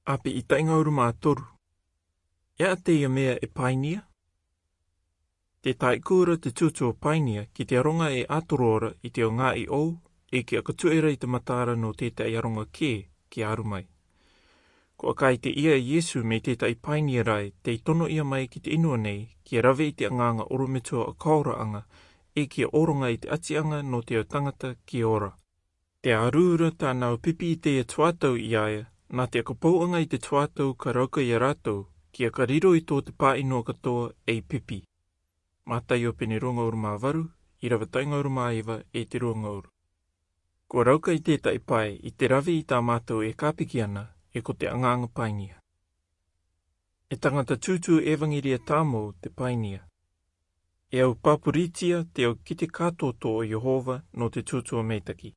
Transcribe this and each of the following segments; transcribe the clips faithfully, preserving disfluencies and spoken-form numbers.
Api i tainga uru mā toru. E a te ia mea e painia? Te taikura te tutu o painia ki te aronga e a toro ora i te o ngā i ou, e ki a katuera i te matara no te tai aronga ke, ki a aru mai. Ko a kai te ia Iesu me te tai painia rai, te tono ia mai ki te inua nei, ki a rave i te anganga oro me tua a kaora anga, e ki a oronga i te atianga no te o tangata ki ora. Te arura tāna o pipi i te ia tuatau i aia, nā te akapau anga i te tuatau ka rauka i a rātou, ki a ka riro i tō te pā inoa katoa ei pipi. Mātai o pene runga uru mā varu, i rava tainga uru mā iva e te runga uru. Ko rauka i te tai pae i te rave i tā mātou e kāpiki ana, e ko te anganga painia. E tangata tutu evangeria tāmou te painia. E au papuritia te au ki te kātoto o Iehova no te tutu o meitaki.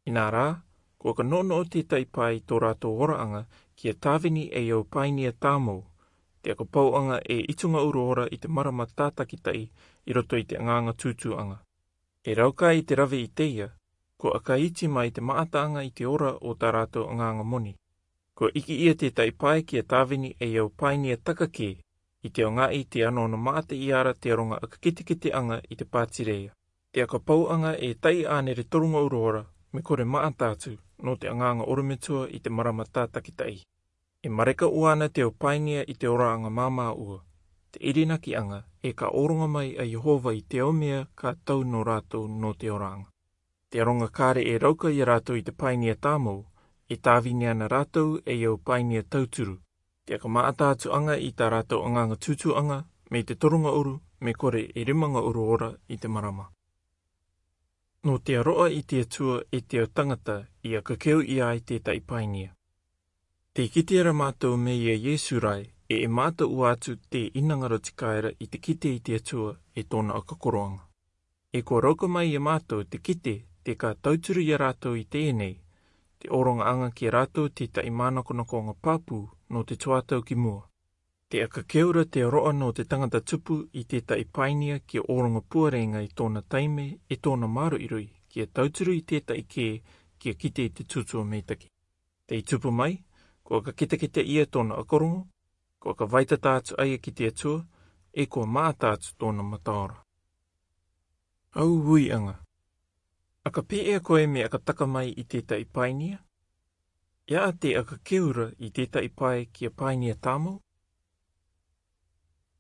Inā rā, ko ka nono o te tai pae i tō rātou oraanga, ki a tāvini e au painia tāmou, te akapau anga e itunga uru ora i te marama tātakitai, i roto i te anganga tutu anga. E rauka i te rave i te ia, ko a ka iti mai te maataanga i te ora o tā rātou anganga moni. Ko iki ia te tai pae ki a tāvini e au painia taka ke, i te o ngā i te ano no maata i ara te aronga a ka kitekite anga i te pātireia. Te akapau anga e tai ānere torunga uru ora, me kore maata atu, no te anganga oro me tua i te marama tātakitai. E mareka uana te o painia i te oraanga māmā ua, te irinaki anga, e ka oronga mai a Iehova i te o mea ka tau no rātou no te oraanga. Te aronga kāre e rauka i a rātou i te painia tāmou, e tāvini ana rātou e au painia tauturu. Te aka maata atu anga i tā rātou anganga tutu anga, me te torunga uru, me kore e rimanga uru ora i te marama. No te aroa i te atua e te o tangata i aka keu i ai te tai painia. Te kite ara mātou me ia Iesu rai, e e mātou ua atu te inangaro te kaera i te kite i te atua e tōna aka koroanga. E kua rauka mai ia mātou te kite, te ka tauturu i a rātou i tēnei, te oronga anga ki a rātou te tai mānakonakonga pāpū no te tuatau ki mua. Te aka keura te aroa no te tangata tupu i te tai painia ki a oronga puarenga i tōna taime, e tōna māroiroi, ki a tauturu i te tai ke, ki a kite i te tutu o meitaki. Te i tupu mai, ko ka kitekite ia tōna akorongo, ko ka vaitata atu aia ki te atua, e kua maata atu tōna mataora. Au ui anga. Aka pē ea koe me aka taka mai i te tai painia? Ia a te aka keura i te tai pae ki a painia tāmou?